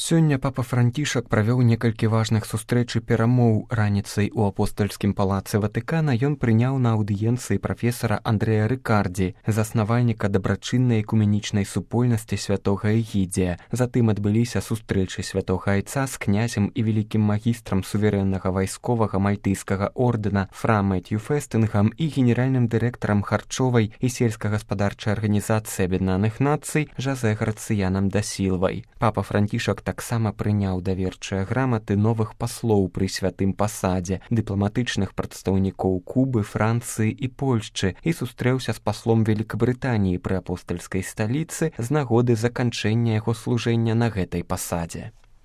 Сёння папа Францішак правёў некалькі важных сустрэч і перамоў. Раніцай у апостальскім палацы Ватыкана ён прыняў на аўдыенцыі прафесара Андрэя Рыкардзі, заснавальніка дабрачыннай экуменічнай супольнасці святога Эгідзія. Затым адбыліся сустрэчы святога айца з князем і вялікім магістрам суверэннага вайсковага мальтыйскага ордэна Фра Мэтью Фэстынгам і генеральным дырэктарам харчовай і сельскагаспадарчай арганізацыі Аб'яднаных Нацый Жозе Грацыянам да Сілвай. Папа Францішак таксама прыняў даверчыя граматы новых паслоў пры святым пасадзе, дыпламатычных прадстаўнікоў Кубы, Францыі і Польшчы і сустрэўся з паслом Великабрытаніі пры апостальскай сталіцы з нагоды заканчэння яго служэння на гэтай пасадзе.